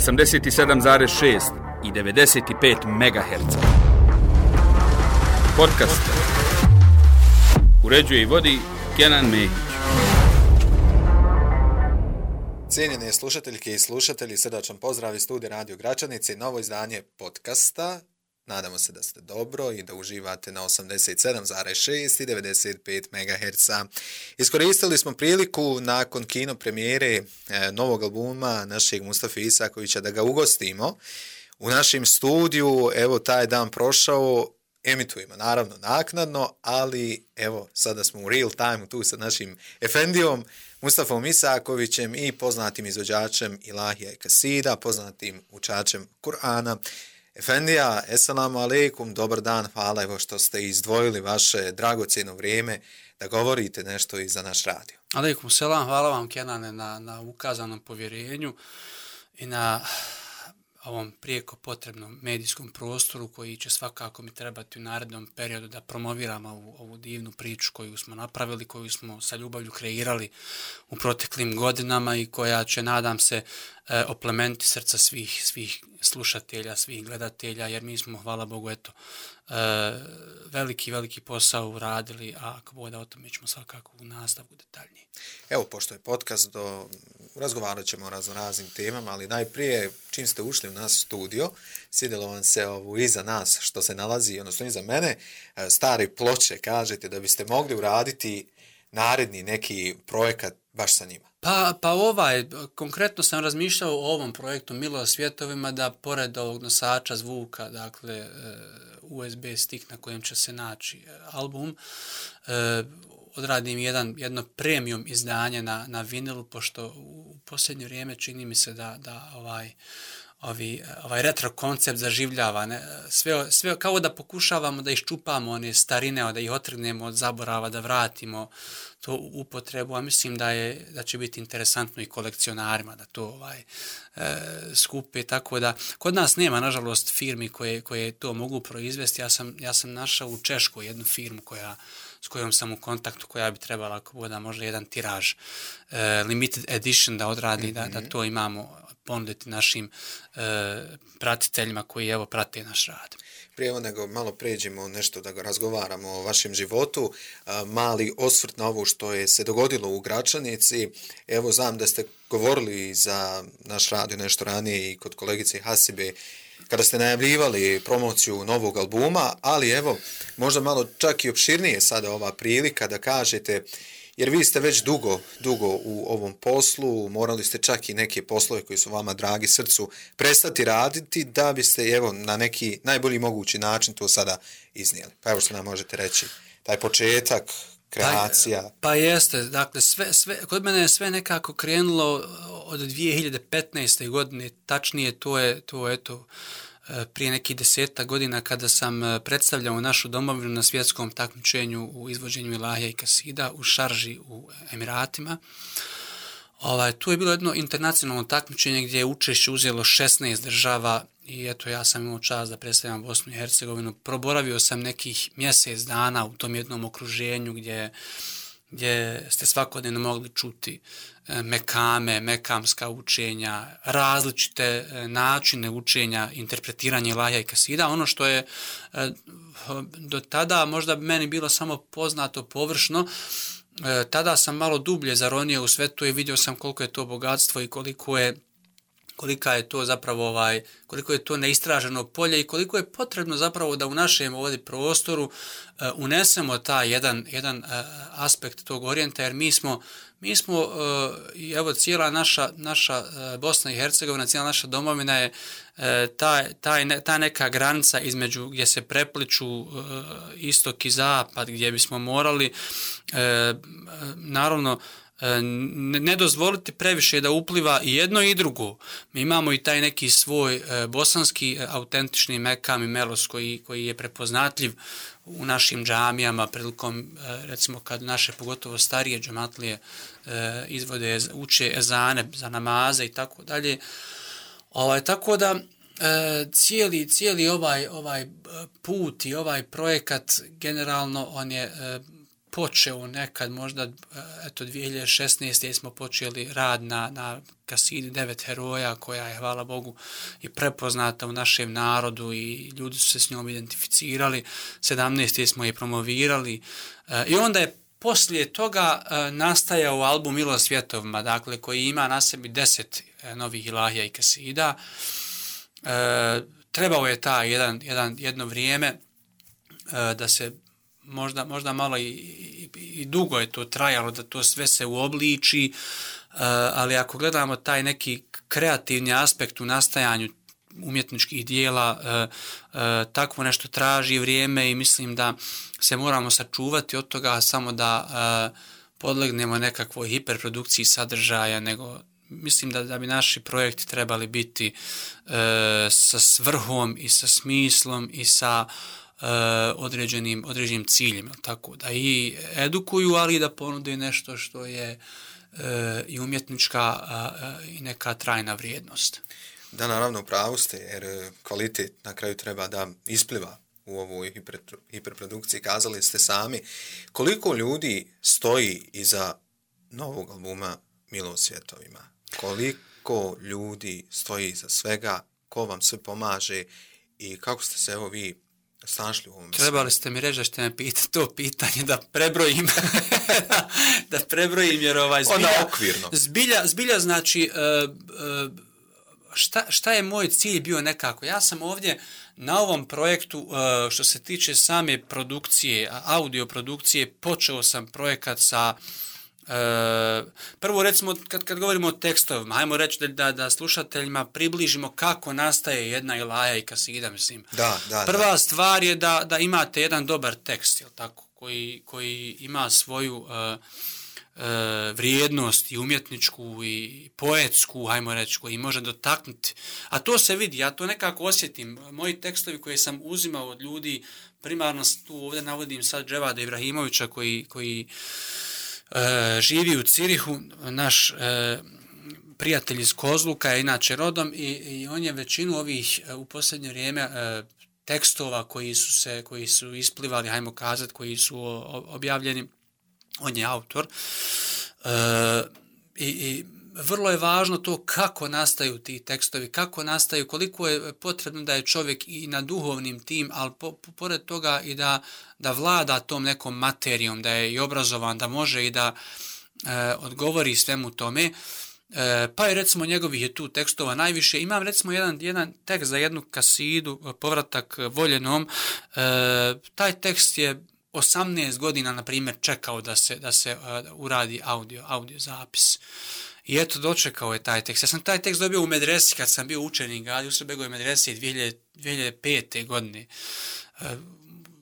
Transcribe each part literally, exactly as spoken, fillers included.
osamdeset sedam zarez šest i devedeset pet megaherca. Podcast uređuje i vodi Kenan Mehić. Cijenjene slušateljke i slušatelji, srdačan pozdrav iz studija Radio Gračanice, novo izdanje podcasta. Nadamo se da ste dobro i da uživate na osamdeset sedam zarez šest i devedeset pet megaherca. Iskoristili smo priliku nakon kino premijere e, novog albuma našeg Mustafa Isakovića da ga ugostimo u našem studiju. Evo, taj dan prošao, emitujemo naravno naknadno, ali evo, sada smo u real time tu sa našim efendijom Mustafom Isakovićem i poznatim izvođačem Ilahija i Kasida, poznatim učačem Kur'ana. Efendija, eselamu alejkum, dobar dan, hvala evo što ste izdvojili vaše dragocjeno vrijeme da govorite nešto i za naš radio. Alejkum selam, hvala vam Kenane na, na ukazanom povjerenju i na ovom prijeko potrebnom medijskom prostoru koji će svakako mi trebati u narednom periodu da promoviramo ovu, ovu divnu priču koju smo napravili, koju smo sa ljubavlju kreirali u proteklim godinama i koja će, nadam se, e, oplemeniti srca svih, svih slušatelja, svih gledatelja, jer mi smo, hvala Bogu, eto, e, veliki, veliki posao uradili, a ako bude o tome ćemo svakako u nastavku detaljnije. Evo, pošto je podcast, do, razgovarat ćemo o raznoraznim temama, ali najprije, čim ste ušli u nas studio, sjedilo vam se ovu iza nas, što se nalazi, odnosno iza mene, stare ploče, kažete da biste mogli uraditi naredni neki projekat baš sa njima. Pa, pa ovaj, konkretno sam razmišljao o ovom projektu Milo svjetovima, da pored ovog nosača zvuka, dakle U S B stick na kojem će se naći album, odradim jedan, jedno premium izdanje na, na vinilu, pošto u posljednje vrijeme čini mi se da, da ovaj, ovi, ovaj retro koncept zaživljava. Ne? Sve, sve kao da pokušavamo da iščupamo one starine, da ih otrgnemo od zaborava, da vratimo to u upotrebu, a mislim da, je, da će biti interesantno i kolekcionarima da to ovaj, e, skupe. Tako da, kod nas nema, nažalost, firmi koje, koje to mogu proizvesti. Ja sam, ja sam našao u Češkoj jednu firmu koja s kojom sam u kontaktu, koja bi trebala, ako bude možda jedan tiraž, e, limited edition da odradi, mm-hmm. da, da to imamo ponuditi našim e, pratiteljima koji evo prate naš rad. Prije evo nego malo pređemo nešto da razgovaramo o vašem životu, a, mali osvrt na ovo što je se dogodilo u Gračanici. Evo, znam da ste govorili za naš radio nešto ranije i kod kolegice Hasibe, kada ste najavljivali promociju novog albuma, ali evo, možda malo čak i opširnije sada ova prilika da kažete, jer vi ste već dugo, dugo u ovom poslu, morali ste čak i neke poslove koji su vama dragi srcu prestati raditi da biste evo na neki najbolji mogući način to sada iznijeli. Pa evo što nam možete reći, taj početak, kreacija. Pa, pa jeste, dakle, sve, sve, kod mene je sve nekako krenulo od dvije hiljade petnaeste. godine, tačnije to je, to je eto, prije nekih deseta godina kada sam predstavljao našu domovinu na svjetskom takmičenju u izvođenju Ilahija i Kasida u Šarži u Emiratima. Ovaj, tu je bilo jedno internacionalno takmičenje gdje je učešće uzelo šesnaest država i eto, ja sam imao čast da predstavljam Bosnu i Hercegovinu. Proboravio sam nekih mjesec dana u tom jednom okruženju gdje, gdje ste svakodnevno mogli čuti mekame, mekamska učenja, različite načine učenja, interpretiranja Ilahija i Kasida. Ono što je do tada možda meni bilo samo poznato površno, tada sam malo dublje zaronio u sve to i vidio sam koliko je to bogatstvo i koliko je kolika je to zapravo ovaj, koliko je to neistraženo polje i koliko je potrebno zapravo da u našem ovdje prostoru uh, unesemo taj jedan, jedan uh, aspekt tog orijenta, jer mi smo, mi smo uh, i evo cijela naša, naša uh, Bosna i Hercegovina, cijela naša domovina je uh, taj, taj ne, ta neka granica između gdje se prepliču uh, istok i zapad, gdje bismo morali uh, naravno ne dozvoliti previše da upliva i jedno i drugo. Mi imamo i taj neki svoj e, bosanski e, autentični mekam i melos koji, koji je prepoznatljiv u našim džamijama prilikom, e, recimo kad naše pogotovo starije džematlije e, izvode, uče ezane za namaze i tako dalje. Ovaj, tako da e, cijeli, cijeli ovaj, ovaj put i ovaj projekat generalno on je e, počeo nekad, možda eto dvije hiljade šesnaeste. smo počeli rad na, na kasidi Devet heroja, koja je, hvala Bogu, i prepoznata u našem narodu i ljudi su se s njom identificirali. sedamnaeste. smo je promovirali i onda je poslije toga nastajao album Milost svjetovima, dakle, koji ima na sebi deset novih ilahija i kasida. Trebao je ta jedan, jedan, jedno vrijeme da se možda, možda malo i, i, i dugo je to trajalo, da to sve se uobliči, ali ako gledamo taj neki kreativni aspekt u nastajanju umjetničkih dijela, takvo nešto traži vrijeme i mislim da se moramo sačuvati od toga samo da podlegnemo nekakvoj hiperprodukciji sadržaja, nego mislim da, da bi naši projekti trebali biti sa svrhom i sa smislom i sa Uh, određenim, određenim ciljima, tako da i edukuju, ali i da ponude nešto što je uh, i umjetnička uh, i neka trajna vrijednost. Da, naravno, upravo ste, jer kvalitet na kraju treba da ispliva u ovoj hiper, hiperprodukciji. Kazali ste sami koliko ljudi stoji iza novog albuma Milost svjetovima. Koliko ljudi stoji iza svega, ko vam sve pomaže i kako ste se evo vi snašli u ovom. Trebali ste mi reći da ćete me pitati to pitanje da prebrojim da prebrojim jer ovaj zbilja, okvirno. zbilja, zbilja znači uh, uh, šta, šta je moj cilj bio nekako. Ja sam ovdje na ovom projektu uh, što se tiče same produkcije, audio produkcije, počeo sam projekat sa E, prvo recimo kad, kad govorimo o tekstovima, hajmo reći da, da, da slušateljima približimo kako nastaje jedna ilaja i kasida, mislim. Da, da, Prva da. stvar je da, da imate jedan dobar tekst, jel tako, koji, koji ima svoju uh, uh, vrijednost i umjetničku i poetsku, hajmo reći, koji može dotaknuti. A to se vidi, ja to nekako osjetim. Moji tekstovi koje sam uzimao od ljudi, primarno tu ovdje navodim sad Dževada Ibrahimovića koji, koji E, živi u Cirihu, naš e, prijatelj iz Kozluka je inače rodom i, i on je većinu ovih e, u posljednje vrijeme e, tekstova koji su se koji su isplivali, hajmo kazati, koji su o, objavljeni, on je autor. E, i, i vrlo je važno to kako nastaju ti tekstovi, kako nastaju, koliko je potrebno da je čovjek i na duhovnim tim, ali po, po, pored toga i da, da vlada tom nekom materijom, da je i obrazovan, da može i da e, odgovori svemu tome. E, pa je recimo njegovih je tu tekstova najviše. Imam recimo jedan, jedan tekst za jednu kasidu, Povratak voljenom. E, taj tekst je osamnaest godina, na primjer, čekao da se, da se uh, uradi audio, audio zapis. I eto, dočekao je taj tekst. Ja sam taj tekst dobio u medresi kad sam bio učenik Adi Usrebegove medrese dvije hiljade pete. godine. Uh,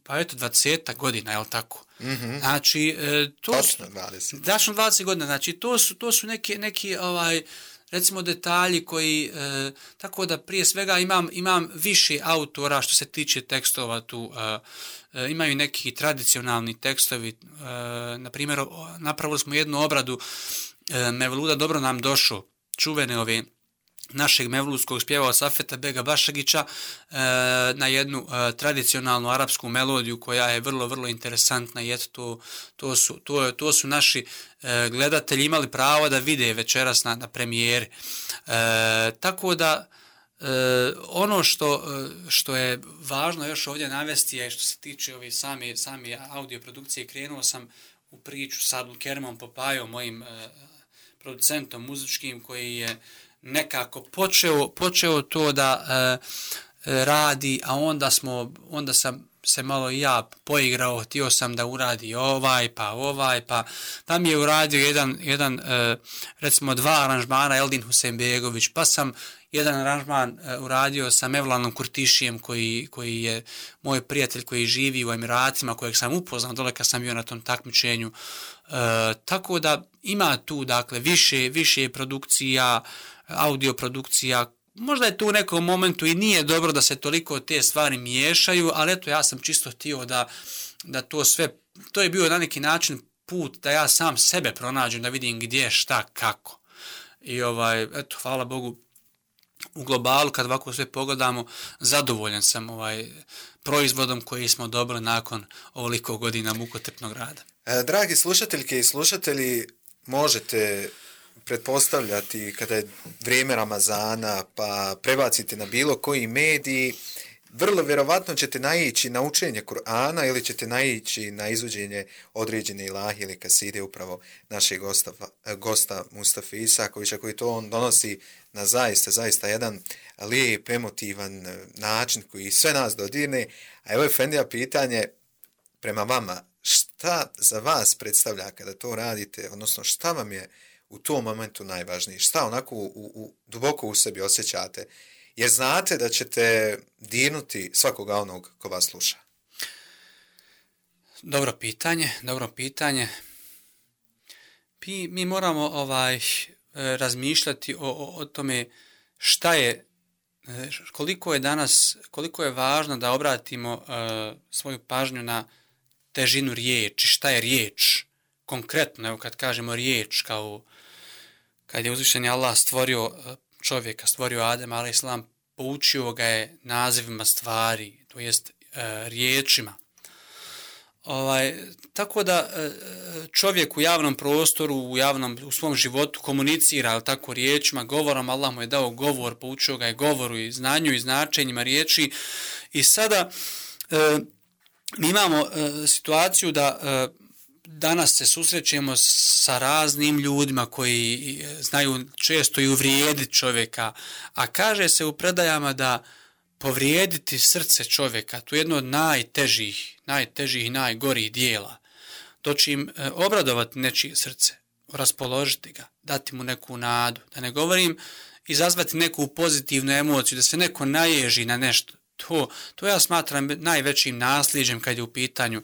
pa eto, dvadeset godina, je li tako? Mm-hmm. Znači, uh, to Točno dvadeset. Tačno dvadeset godina. Znači, to su, to su neki, neki ovaj, recimo, detalji koji, uh, tako da prije svega imam, imam više autora što se tiče tekstova tu. Uh, uh, imaju neki tradicionalni tekstovi. Uh, na primjer, napravili smo jednu obradu Mevluda Dobro nam došao, čuvene ove našeg mevludskog spjevao Safeta Bega Bašagića e, na jednu e, tradicionalnu arapsku melodiju koja je vrlo, vrlo interesantna i eto to, to, su, to, to su naši e, gledatelji imali pravo da vide večeras na, na premijeri. E, tako da e, ono što, što je važno još ovdje navesti je što se tiče ove same, same audio produkcije, krenuo sam u priču sa Abdulkerimom Popajom, mojim e, producentom muzičkim koji je nekako počeo, počeo to da e, radi, a onda smo, onda sam se malo i ja poigrao, htio sam da uradi ovaj, pa ovaj, pa, pa mi je uradio jedan, jedan e, recimo dva aranžmana Eldin Husein-begović, pa sam jedan aranžman e, uradio sa Mevlanom Kurtišijem koji, koji je moj prijatelj koji živi u Emiratima, kojeg sam upoznao dole kad sam bio na tom takmičenju. E, tako da ima tu dakle više, više produkcija, audio produkcija. Možda je tu u nekom momentu i nije dobro da se toliko te stvari miješaju, ali eto ja sam čisto htio da, da to sve, to je bio na neki način put da ja sam sebe pronađem, da vidim gdje, šta, kako. I ovaj, eto, hvala Bogu, u globalu kad ovako sve pogledamo, zadovoljan sam ovaj proizvodom koji smo dobili nakon ovoliko godina mukotrpnog rada. Dragi slušateljke i slušatelji, možete pretpostavljati kada je vrijeme Ramazana pa prebacite na bilo koji mediji, vrlo vjerovatno ćete naići na učenje Kur'ana ili ćete naići na izvođenje određene ilahi ili kaside upravo našeg gosta, gosta Mustafa Isakovića, koji to on donosi na zaista, zaista jedan lijep, emotivan način koji sve nas dodirne. A evo Efendija pitanje prema vama, šta za vas predstavlja kada to radite, odnosno šta vam je u tom momentu najvažnije, šta onako u, u, duboko u sebi osjećate, jer znate da ćete dirnuti svakoga onog ko vas sluša? Dobro pitanje, dobro pitanje. Mi, mi moramo ovaj razmišljati o, o, o tome šta je, koliko je danas, koliko je važno da obratimo uh, svoju pažnju na težinu riječi, šta je riječ, konkretno, evo kad kažemo riječ, kao kad je uzvišeni Allah stvorio čovjeka, stvorio Adem alejhi selam, poučio ga je nazivima stvari, to jest e, riječima. Ovaj, tako da e, čovjek u javnom prostoru, u javnom, u svom životu komunicira, ali tako riječima, govorom, Allah mu je dao govor, poučio ga je govoru i znanju i značenjima riječi. I sada e, mi imamo e, situaciju da e, danas se susrećemo sa raznim ljudima koji znaju često i uvrijediti čovjeka, a kaže se u predajama da povrijediti srce čovjeka, to je jedno od najtežih, najtežih i najgorih dijela. Doći im e, obradovati nečije srce, raspoložiti ga, dati mu neku nadu, da ne govorim izazvati neku pozitivnu emociju, da se neko naježi na nešto. To, to ja smatram najvećim nasljeđem kad je u pitanju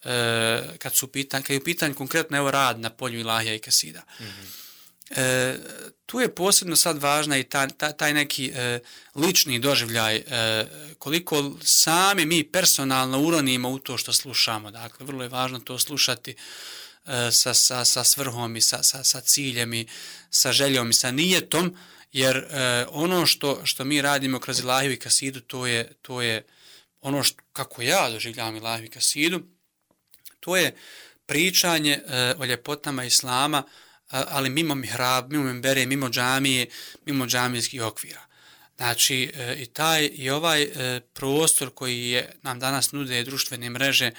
E, kad su pitanj, kad je u pitanju konkretno evo rad na polju ilahija i kasida. Mm-hmm. E, tu je posebno sad važna i ta, ta, taj neki e, lični doživljaj, e, koliko sami mi personalno uronimo u to što slušamo. Dakle, vrlo je važno to slušati e, sa, sa, sa svrhom i sa, sa, sa ciljem i sa željom i sa nijetom, jer e, ono što, što mi radimo kroz ilahiju i kasidu, to je, to je ono što, kako ja doživljavam ilahiju i kasidu, to je pričanje e, o ljepotama Islama, a, ali mimo mihrab, mimo membere, mimo džamije, mimo džamijskih okvira. Znači, e, i taj i ovaj e, prostor koji je nam danas nude društvene mreže,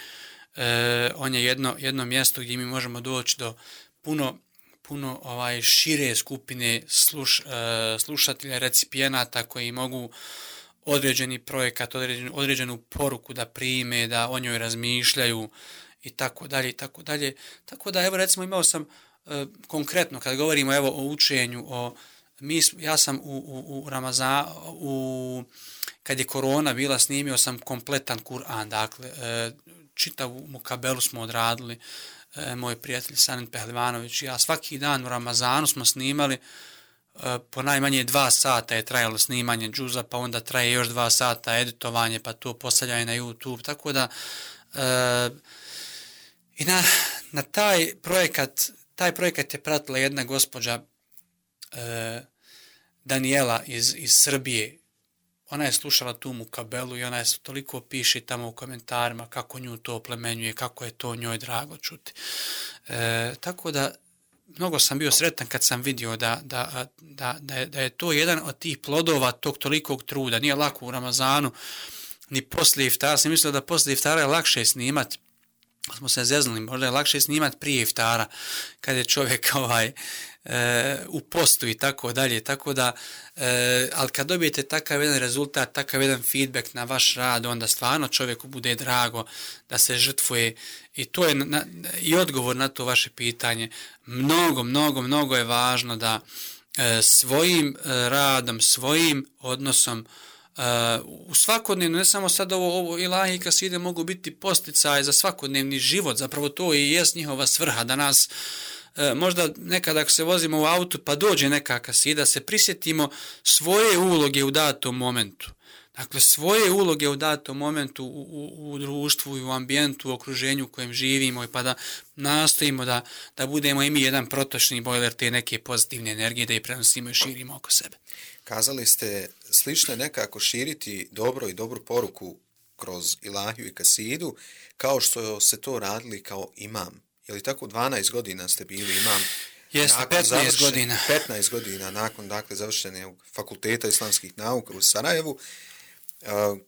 e, on je jedno, jedno mjesto gdje mi možemo doći do puno, puno ovaj šire skupine sluš, e, slušatelja, recipijenata koji mogu određeni projekat, određenu, određenu poruku da prime, da o njoj razmišljaju, i tako dalje, i tako dalje. Tako da, evo, recimo, imao sam e, konkretno, kad govorimo, evo, o učenju, o, mi, ja sam u, u, u Ramazan, u, kad je korona bila, snimio sam kompletan Kur'an, dakle, e, čitavu mukabelu smo odradili, e, moj prijatelj Sanin Pehlivanović i ja, svaki dan u Ramazanu smo snimali, e, po najmanje dva sata je trajalo snimanje džuza, pa onda traje još dva sata editovanje, pa to postavljanje na YouTube, tako da, e, i na, na taj projekat, taj projekat je pratila jedna gospođa e, Daniela iz, iz Srbije. Ona je slušala tu mukabelu i ona je toliko piše tamo u komentarima kako nju to oplemenjuje, kako je to njoj drago čuti. E, tako da, mnogo sam bio sretan kad sam vidio da, da, da, da, je, da je to jedan od tih plodova tog tolikog truda. Nije lako u Ramazanu, ni poslije iftara. Sam mislio da poslije iftara je lakše snimati. Smo se zeznuli, možda je lakše snimati prije iftara, kad je čovjek ovaj, e, u postu i tako dalje, tako da, e, ali kad dobijete takav jedan rezultat, takav jedan feedback na vaš rad, onda stvarno čovjeku bude drago da se žrtvuje i to je na, i odgovor na to vaše pitanje. Mnogo, mnogo, mnogo je važno da e, svojim radom, svojim odnosom, Uh, u svakodnevno, ne samo sad ovo, ovo ilahi i kaside mogu biti posticaj za svakodnevni život, zapravo to i jest njihova svrha, da nas uh, možda nekad ako se vozimo u autu pa dođe neka kasida, se prisjetimo svoje uloge u datom momentu. Dakle, svoje uloge u datom momentu u, u, u društvu i u ambijentu, u okruženju u kojem živimo i pa da nastojimo da, da budemo i mi jedan protočni bojler te neke pozitivne energije, da je prenosimo i širimo oko sebe. Kazali ste slično nekako širiti dobro i dobru poruku kroz ilahiju i kasidu, kao što se to radili kao imam. je li tako, dvanaest godina ste bili imam? Jeste, petnaest godina. petnaest godina nakon, dakle, završenog fakulteta islamskih nauka u Sarajevu. Uh,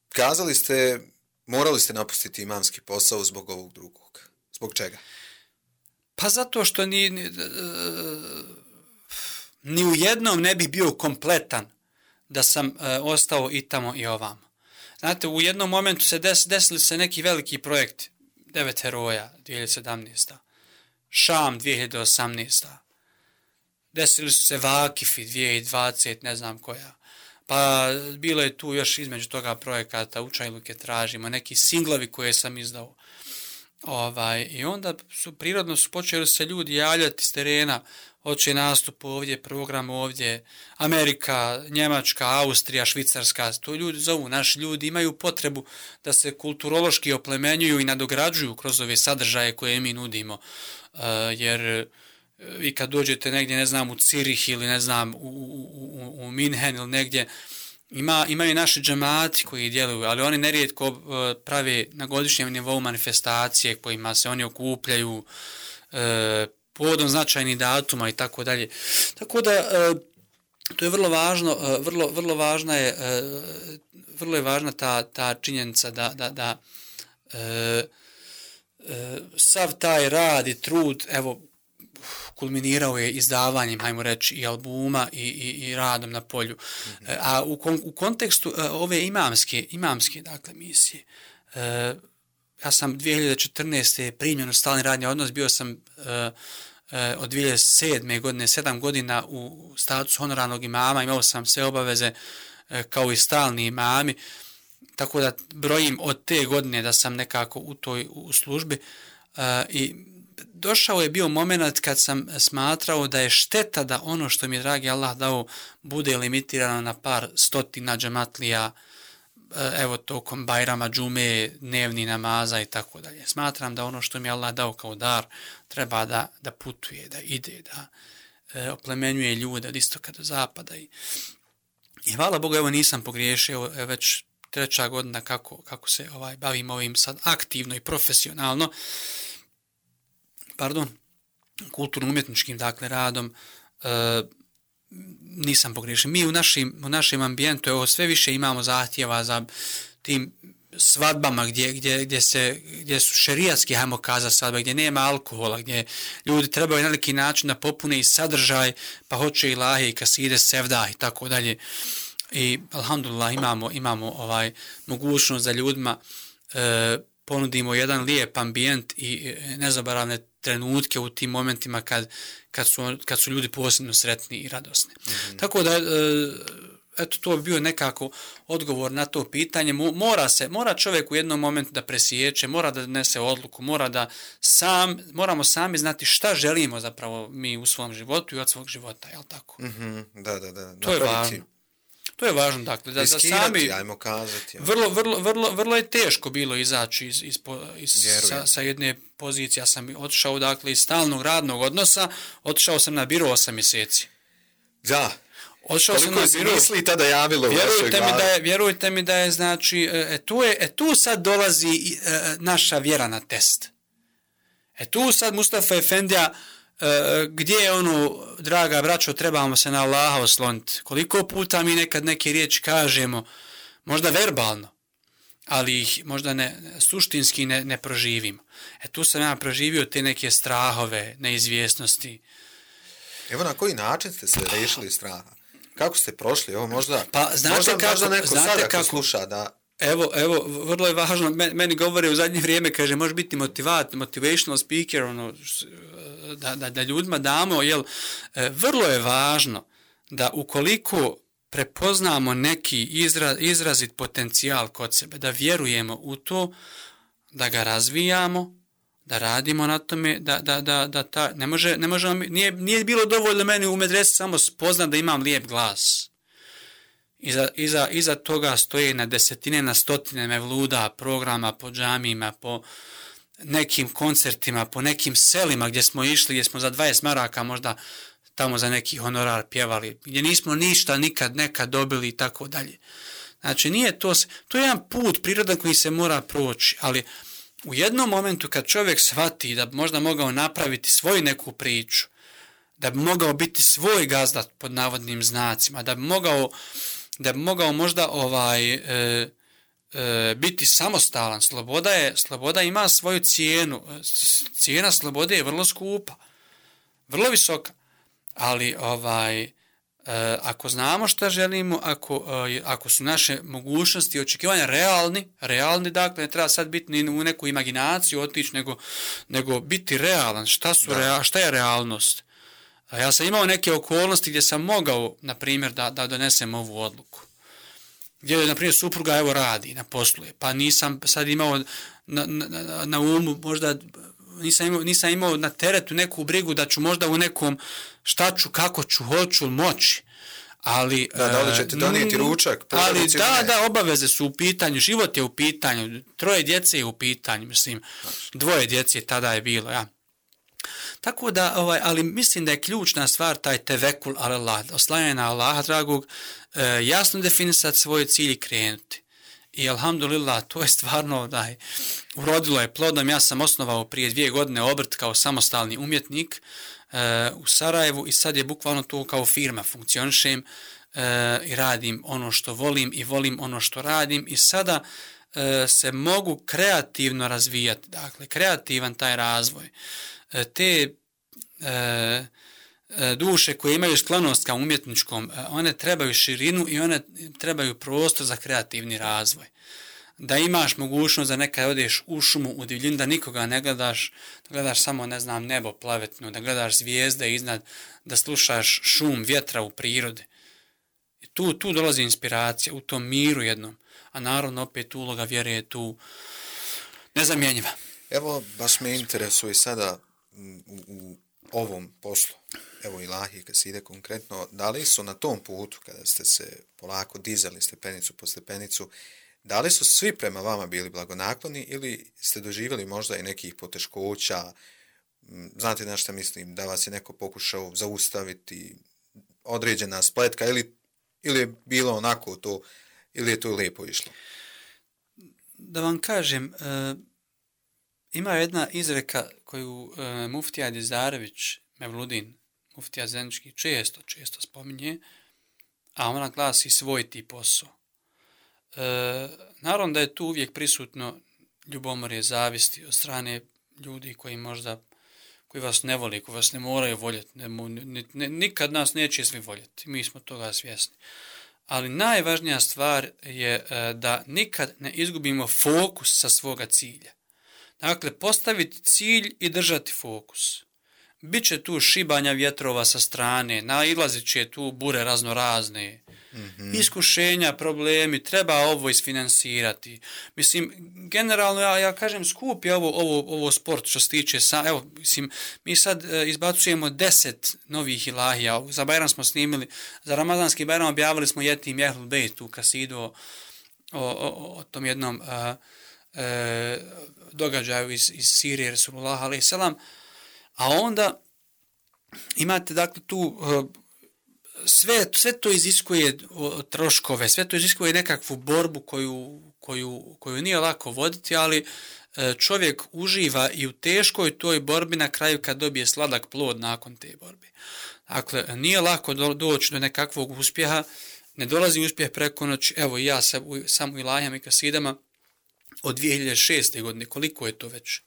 kazali ste, morali ste napustiti imamski posao zbog ovog drugog. Zbog čega? Pa zato što ni, ni, ni u jednom ne bi bio kompletan da sam uh, ostao i tamo i ovamo. Znate, u jednom momentu se des, desili se neki veliki projekti. Devet heroja, dvije hiljade sedamnaeste. Šam, dvije hiljade osamnaeste. Desili su se Vakifi, dvije hiljade dvadesete, ne znam koja. Pa bilo je tu još između toga projekata Učajluke tražimo, neki singlovi koje sam izdao. Ovaj, i onda su prirodno su počeli se ljudi javljati s terena, hoće nastup ovdje, program ovdje, Amerika, Njemačka, Austrija, Švicarska, to ljudi zovu, naši ljudi imaju potrebu da se kulturološki oplemenjuju i nadograđuju kroz ove sadržaje koje mi nudimo, uh, jer i kad dođete negdje, ne znam, u Cirih ili ne znam, u, u, u, u Minhen ili negdje, Ima, imaju naši džemati koji djeluju, ali oni nerijetko uh, prave na godišnjem nivou manifestacije kojima se oni okupljaju uh, povodom značajnih datuma i tako dalje. Tako da uh, to je vrlo važno, uh, vrlo, vrlo važna je, uh, vrlo je važna ta, ta činjenica da, da, da uh, uh, sav taj rad i trud, evo, kulminirao je izdavanjem, hajmo reći, i albuma i, i, i radom na polju. Mm-hmm. A u, kon, u kontekstu uh, ove imamske, imamske dakle, misije, uh, ja sam dvije hiljade četrnaeste. primljen u stalni radni odnos, bio sam uh, uh, od dvije hiljade sedme. godine, sedam godina u statusu honorarnog imama, imao sam sve obaveze uh, kao i stalni imami, tako da brojim od te godine da sam nekako u toj u službi uh, i došao je bio moment kad sam smatrao da je šteta da ono što mi je dragi Allah dao bude limitirano na par stotina džematlija, evo tokom Bajrama, džume, dnevni namaza i tako dalje. Smatram da ono što mi je Allah dao kao dar treba da, da putuje, da ide, da e, oplemenjuje ljude od istoka do zapada. I, i hvala Bogu, evo nisam pogriješio, evo već treća godina kako, kako se ovaj bavim ovim sad aktivno i profesionalno, pardon, kulturno-umjetničkim, dakle, radom, e, nisam pogriješen. Mi u našim, u našem ambijentu, evo, sve više imamo zahtjeva za tim svadbama gdje, gdje, gdje, se, gdje su šerijatski, hajmo kazati svadbe, gdje nema alkohola, gdje ljudi trebaju na neki način da popune i sadržaj, pa hoće i lahe i kaside, sevda i tako dalje. I, alhamdulillah, imamo, imamo ovaj mogućnost da ljudima e, ponudimo jedan lijep ambijent i nezaboravne trenutke u tim momentima kad, kad, su, kad su ljudi posebno sretni i radosni. Mm-hmm. Tako da, eto, to bi bio nekako odgovor na to pitanje. Mora se, mora čovjek u jednom momentu da presjeće, mora da donese odluku, mora da sam, moramo sami znati šta želimo zapravo mi u svom životu i od svog života, jel tako? Mm-hmm. Da, da, da. To je važno. To je važno, dakle, da, da sami, ajmo kazati. Vrlo, vrlo, vrlo, vrlo je teško bilo izaći iz, iz, iz, sa, sa jedne pozicije. Ja sam otišao, dakle, iz stalnog radnog odnosa, otišao sam na biro osam mjeseci. Da. Otišao sam na biro. Misli tada javilo vjerujte mi da je, vjerujte mi da je, znači, e, tu, je, e, tu sad dolazi e, naša vjera na test. E tu sad Mustafa Efendija, Uh, gdje je ono, draga braćo, trebamo se na Allaha osloniti. Koliko puta mi nekad neke riječi kažemo, možda verbalno, ali ih možda ne, suštinski ne, ne proživimo. E tu sam ja proživio te neke strahove, neizvjesnosti. Evo na koji način ste se rešili straha? Kako ste prošli? Evo možda, pa, znate možda, kako, možda neko znate sada kako, sluša da... Evo, evo, vrlo je važno, meni govore u zadnje vrijeme, kaže, može biti motivat, motivational speaker, ono, da, da, da ljudima damo, jel, vrlo je važno da ukoliko prepoznamo neki izra, izrazit potencijal kod sebe, da vjerujemo u to, da ga razvijamo, da radimo na tome, da, da, da, da ta, ne može, ne možemo, nije, nije bilo dovoljno meni u medresi samo spoznat da imam lijep glas. Iza, iza, iza toga stoje na desetine, na stotine mevluda, programa po džamijima, po nekim koncertima, po nekim selima gdje smo išli, gdje smo za dvadeset maraka možda tamo za neki honorar pjevali, gdje nismo ništa nikad nekad dobili i tako dalje. Znači, nije to, to je jedan put prirodan koji se mora proći, ali u jednom momentu kad čovjek shvati da bi možda mogao napraviti svoju neku priču, da bi mogao biti svoj gazda pod navodnim znacima, da bi mogao, da bi mogao možda ovaj, e, e, biti samostalan, sloboda, je, sloboda ima svoju cijenu, cijena slobode je vrlo skupa, vrlo visoka, ali ovaj, E, ako znamo šta želimo, ako, e, ako su naše mogućnosti i očekivanja realni, realni, dakle, ne treba sad biti ni u neku imaginaciju otići, nego, nego biti realan. Šta, su rea, šta je realnost? A ja sam imao neke okolnosti gdje sam mogao, na primjer, da, da donesem ovu odluku. Gdje, na primjer, supruga evo radi na poslu, pa nisam sad imao na, na, na umu možda... Nisam imao, nisam imao na teretu neku brigu da ću možda u nekom šta ću, kako ću, hoću, moći. Ali, da, da li ćete donijeti ručak? Ali da, da, obaveze su u pitanju, život je u pitanju, troje djece je u pitanju, mislim, dvoje djece tada je bilo, ja. Tako da, ovaj, ali mislim da je ključna stvar taj tevekul Allah, oslanjanje na Allaha dragog, e, jasno definisati svoj cilj i krenuti. I alhamdulillah, to je stvarno, daj, urodilo je plodom. Ja sam osnovao prije dvije godine obrt kao samostalni umjetnik e, u Sarajevu i sad je bukvalno to kao firma funkcionišem e, i radim ono što volim i volim ono što radim i sada e, se mogu kreativno razvijati, dakle, kreativan taj razvoj. E, te e, duše koje imaju sklonost ka umjetničkom, one trebaju širinu i one trebaju prostor za kreativni razvoj. Da imaš mogućnost da nekad odeš u šumu, u divljinu, da nikoga ne gledaš, da gledaš samo, ne znam, nebo plavetno, da gledaš zvijezde iznad, da slušaš šum vjetra u prirodi. I tu, tu dolazi inspiracija, u tom miru jednom. A naravno, opet uloga vjere je tu nezamjenjiva. Evo, baš me interesuje sada u, u ovom poslu. Evo ilahi, kad se ide konkretno, da li su na tom putu, kada ste se polako dizali stepenicu po stepenicu, da li su svi prema vama bili blagonakloni ili ste doživjeli možda i nekih poteškoća, znate na šta mislim, da vas je neko pokušao zaustaviti, određena spletka ili, ili je bilo onako to, ili je to lijepo išlo? Da vam kažem, e, ima jedna izreka koju e, muftija Dizarević Mevludin, muftija Zenički, često, često spominje, a ona glasi svoj ti posao. E, naravno da je tu uvijek prisutno ljubomorje, zavisti od strane ljudi koji možda, koji vas ne voli, koji vas ne moraju voljeti, ne, ne, ne, nikad nas neće svi voljeti, mi smo toga svjesni. Ali najvažnija stvar je e, da nikad ne izgubimo fokus sa svoga cilja. Dakle, postaviti cilj i držati fokus. Biće tu šibanja vjetrova sa strane, nailazit će tu bure raznorazne, mm-hmm. iskušenja, problemi, treba ovo isfinansirati. Mislim, generalno, ja, ja kažem, skup je ovo, ovo, ovo sport što se tiče, sa, evo, mislim, mi sad e, izbacujemo deset novih ilahija, za Bajram smo snimili, za Ramazanski Bajram objavili smo Jetim Jehlul Bejt, tu kasidu o, o, o, o tom jednom a, e, događaju iz, iz Sirije, Resulullah alejhi ve selam. A onda imate, dakle, tu sve, sve to iziskuje troškove, sve to iziskuje nekakvu borbu koju, koju, koju nije lako voditi, ali čovjek uživa i u teškoj toj borbi na kraju kad dobije sladak plod nakon te borbe. Dakle, nije lako do, doći do nekakvog uspjeha, ne dolazi uspjeh preko noći. Evo ja sam, sam u ilahijama i kasidama od dvije hiljade šeste. godine, koliko je to već?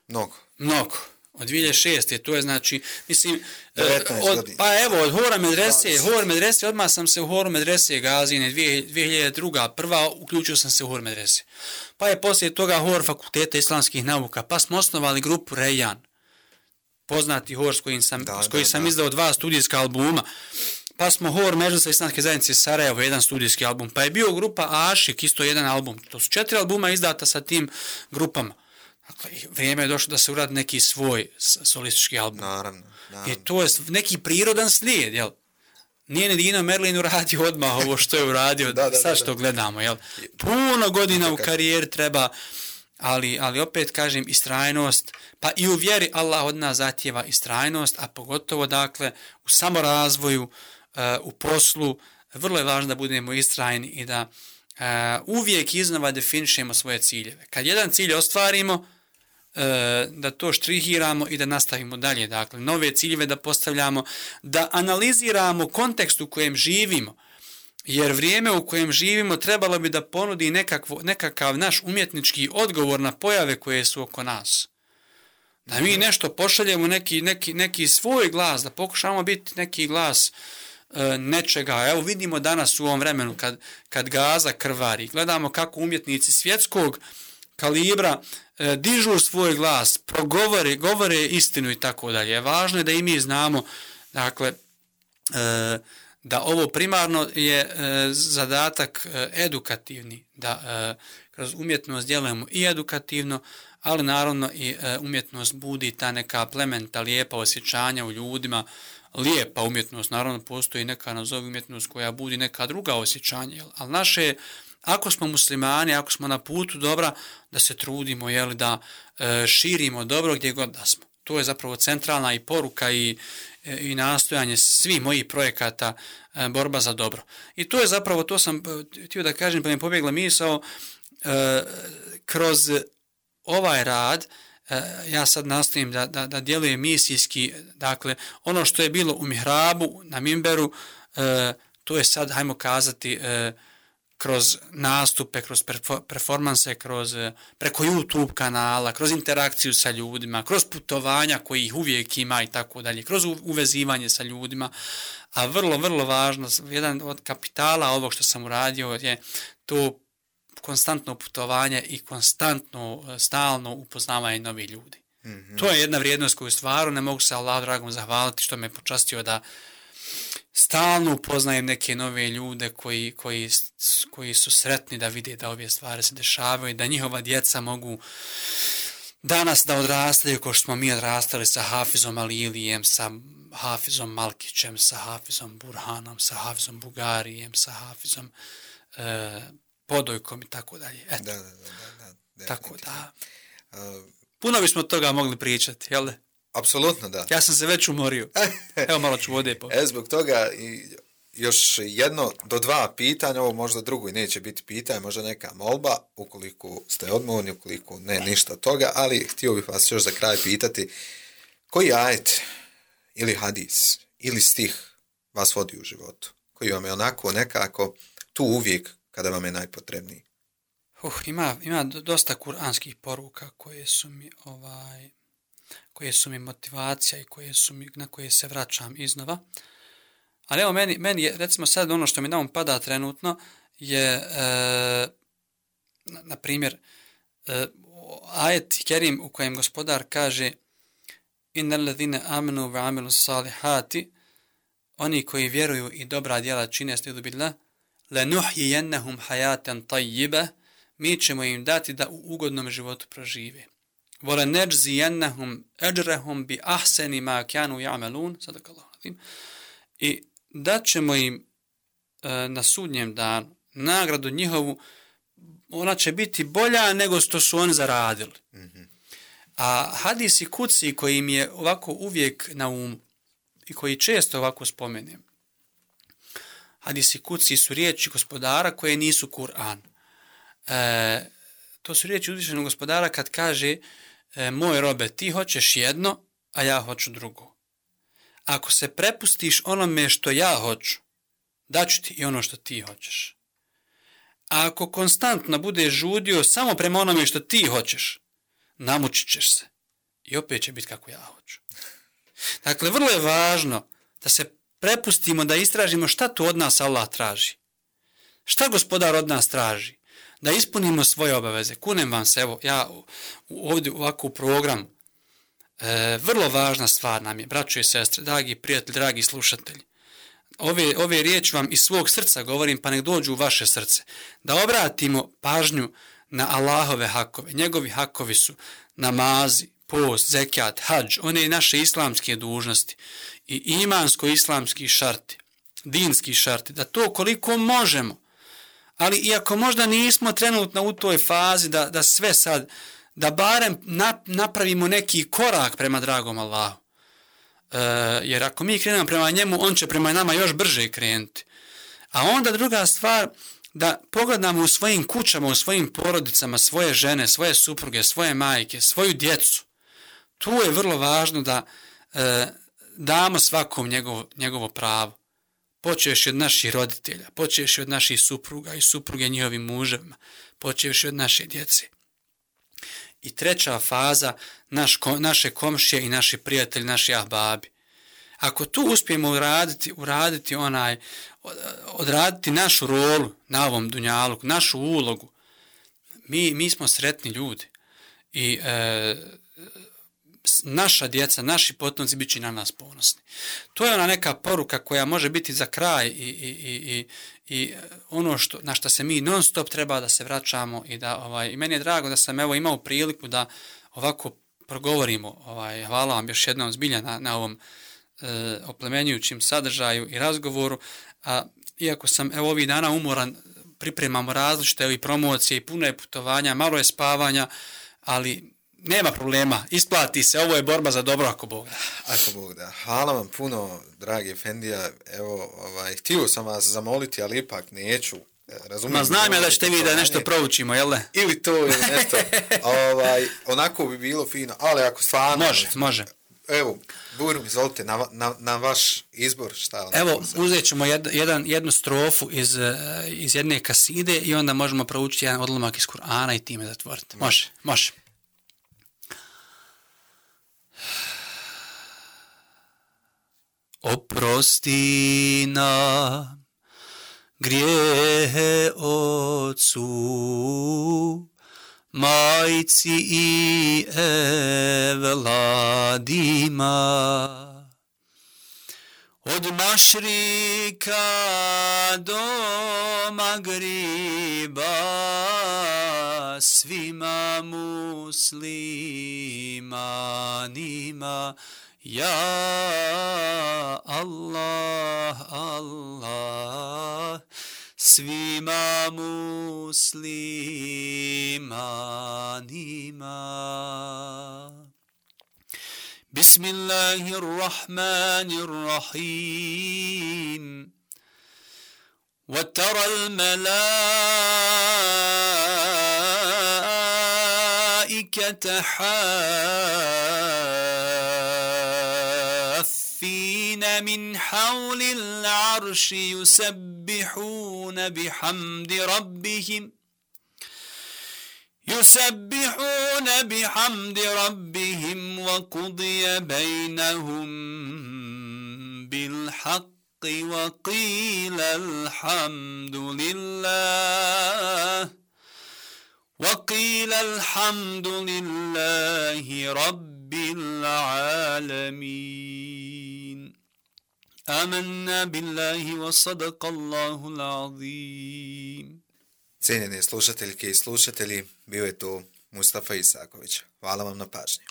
Mnogo. Mnogo. Od dvije hiljade šeste. to je znači, mislim, od, pa evo, od Hora medrese, Hor medrese, odmah sam se u Horu medrese Gazine, dvije hiljade druga. prva, uključio sam se u Hor medrese. Pa je poslije toga Hor fakulteta islamskih nauka, pa smo osnovali grupu Rejan, poznati Hor s kojim sam, da, s kojim da, sam da. izdao dva studijska albuma, pa smo Hor Mežlisa islamske zajednice Sarajevo, jedan studijski album, pa je bio grupa Ašik, isto jedan album, to su četiri albuma izdata sa tim grupama. Dakle, vrijeme je došlo da se uradi neki svoj solistički album. Naravno, naravno. I to je neki prirodan slijed, jel? Nije ni Dino Merlin uradio odmah ovo što je uradio, da, da, sad što da, da. gledamo, jel? Puno godina u karijeri treba, ali, ali opet kažem, istrajnost, pa i u vjeri Allah od nas zahtijeva istrajnost, a pogotovo, dakle, u samorazvoju, u poslu, vrlo je važno da budemo istrajni i da uvijek iznova definišemo svoje ciljeve. Kad jedan cilj ostvarimo, da to štrihiramo i da nastavimo dalje. Dakle, nove ciljeve da postavljamo, da analiziramo kontekst u kojem živimo. Jer vrijeme u kojem živimo trebalo bi da ponudi nekakvo, nekakav naš umjetnički odgovor na pojave koje su oko nas. Da mi nešto pošaljemo, neki, neki, neki svoj glas, da pokušamo biti neki glas e, nečega. Evo vidimo danas u ovom vremenu kad, kad Gaza krvari, gledamo kako umjetnici svjetskog kalibra e, dižu svoj glas, progovore, govore istinu i tako dalje. Važno je da i mi znamo, dakle, e, da ovo primarno je e, zadatak e, edukativni, da e, kroz umjetnost djelujemo i edukativno, ali naravno i e, umjetnost budi ta neka plementa, lijepa osjećanja u ljudima, lijepa umjetnost, naravno postoji neka nazovi umjetnost koja budi neka druga osjećanja, ali naše, ako smo muslimani, ako smo na putu dobra, da se trudimo, jeli, da e, širimo dobro gdje god da smo. To je zapravo centralna i poruka i, i nastojanje svih mojih projekata, e, borba za dobro. I to je zapravo, to sam htio da kažem, pa mi je pobjegla misao, e, kroz ovaj rad, e, ja sad nastojim da, da, da djelujem misijski, dakle, ono što je bilo u mihrabu, na mimberu, e, to je sad, hajmo kazati, e, kroz nastupe, kroz performanse, kroz, preko YouTube kanala, kroz interakciju sa ljudima, kroz putovanja koji ih uvijek ima i tako dalje, kroz uvezivanje sa ljudima, a vrlo, vrlo važno, jedan od kapitala ovog što sam uradio je to konstantno putovanje i konstantno, stalno upoznavanje novih ljudi. Mm-hmm. To je jedna vrijednost koju stvarno ne mogu se Allah dragom zahvaliti što me počastio da stalno upoznajem neke nove ljude koji, koji, koji su sretni da vide da ove stvari se dešavaju, da njihova djeca mogu danas da odrastaju kao što smo mi odrastali sa Hafizom Alilijem, sa Hafizom Malkićem, sa Hafizom Burhanom, sa Hafizom Bugarijem, sa Hafizom e, Podojkom i tako dalje. Eto. Da, da, da, da, tako da. Puno bismo toga mogli pričati, jel da? Apsolutno da. Ja sam se već umorio. Evo malo ću vode po. E, zbog toga i još jedno do dva pitanja, ovo možda drugo i neće biti pitanje, možda neka molba, ukoliko ste odmorni, ukoliko ne, ništa toga, ali htio bih vas još za kraj pitati, koji ajet ili hadis ili stih vas vodi u životu, koji vam je onako nekako tu uvijek kada vam je najpotrebniji? Uh, ima, ima dosta kuranskih poruka koje su mi ovaj... koje su mi motivacija i koje su mi, na koje se vraćam iznova. Ali evo, meni, meni je, recimo sad ono što mi na um pada trenutno je, e, na, na primjer, e, ajet kerim u kojem gospodar kaže innal ladhina amanu wa amilu salihati, oni koji vjeruju i dobra djela čine, stidu billah, lanuhjiyannahum hayatan tayyiba, mi ćemo im dati da u ugodnom životu prožive. وَلَنَجْزِيَنَّهُمْ أَجْرَهُمْ بِأَحْسَنِ مَا كَانُوا يَعْمَلُونَ صدق الله العظيم. I dat ćemo im e, na sudnjem danu nagradu njihovu, ona će biti bolja nego što su oni zaradili. Mm-hmm. A hadisi kuci koji mi je ovako uvijek na umu i koji često ovako spomenem, hadisi kuci su riječi gospodara koje nisu Kur'an. E, to su riječi uzvišenog gospodara kad kaže E, moj robe, ti hoćeš jedno, a ja hoću drugo. Ako se prepustiš onome što ja hoću, daću ti i ono što ti hoćeš. A ako konstantno budeš žudio samo prema onome što ti hoćeš, namučit ćeš se. I opet će biti kako ja hoću. Dakle, vrlo je važno da se prepustimo, da istražimo šta tu od nas Allah traži. Šta gospodar od nas traži? Da ispunimo svoje obaveze. Kunem vam se, evo, ja ovdje ovako u programu, e, vrlo važna stvar nam je, braćo i sestre, dragi prijatelji, dragi slušatelji. Ove, ove riječi vam iz svog srca govorim, pa nek dođu u vaše srce. Da obratimo pažnju na Allahove hakove. Njegovi hakovi su namazi, post, zekijat, hadž, one naše islamske dužnosti i imansko-islamski šarti, dinski šarti, da to koliko možemo, ali iako možda nismo trenutno u toj fazi da, da sve sad, da barem napravimo neki korak prema dragom Allahu. E, jer ako mi krenemo prema njemu, on će prema nama još brže krenuti. A onda druga stvar, da pogledamo u svojim kućama, u svojim porodicama, svoje žene, svoje supruge, svoje majke, svoju djecu. Tu je vrlo važno da e, damo svakom njegovo, njegovo pravo. Počeš od naših roditelja, počeš od naših supruga i supruge njihovim muževima, počeš od naše djece. I treća faza, naš, naše komšije i naši prijatelji, naši ahbabi. Ako tu uspijemo uraditi, uraditi onaj, odraditi našu rolu na ovom dunjalu, našu ulogu, mi, mi smo sretni ljudi. I e, naša djeca, naši potomci bit će na nas ponosni. To je ona neka poruka koja može biti za kraj i, i, i, i ono što, na što se mi non stop treba da se vraćamo i da, ovaj, i meni je drago da sam evo imao priliku da ovako progovorimo. Ovaj, hvala vam još jednom zbilja na, na ovom e, oplemenjujućim sadržaju i razgovoru. A, iako sam evo ovih dana umoran, pripremamo različite i promocije i puno je putovanja, malo je spavanja, ali nema problema, isplati se, ovo je borba za dobro ako Bog da. Ako Bog da. Hvala vam puno, dragi Efendija. Evo, ovaj, htio sam vas zamoliti, ali ipak neću. Razumijem. Ma znam ja da ćete vi da nešto proučimo, jel ne? Ili to, ili nešto. ovaj, onako bi bilo fino, ali ako stvarno... Može, može. Evo, Burim, izvolite, na, na, na vaš izbor šta... Evo, uzet ćemo jed, jedan, jednu strofu iz, iz jedne kaside i onda možemo proučiti jedan odlomak iz Kur'ana i time zatvoriti. Može, može. Oprosti nam grijehe ocu, majci i evladima, od mašrika do magriba, svima muslimanima. Ja Allah, Allah, svima muslimanima. Bismillahirrahmanirrahim. وَتَرَى الْمَلَائِكَةَ حَافِّينَ مِنْ حَوْلِ الْعَرْشِ يُسَبِّحُونَ بِحَمْدِ رَبِّهِمْ يُسَبِّحُونَ بِحَمْدِ رَبِّهِمْ وَقُضِيَ بَيْنَهُمْ بِالْحَقِّ وقيل الحمد لله وقيل الحمد لله رب العالمين آمنا بالله وصدق الله العظيم. Cijenjeni slušateljke i slušatelji, bio je to Mustafa Isaković. Hvala vam na pažnji.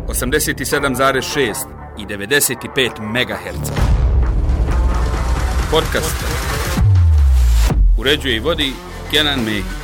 osamdeset sedam zarez šest i devedeset pet megaherca. Podcast uređuje i vodi Kenan Mehić.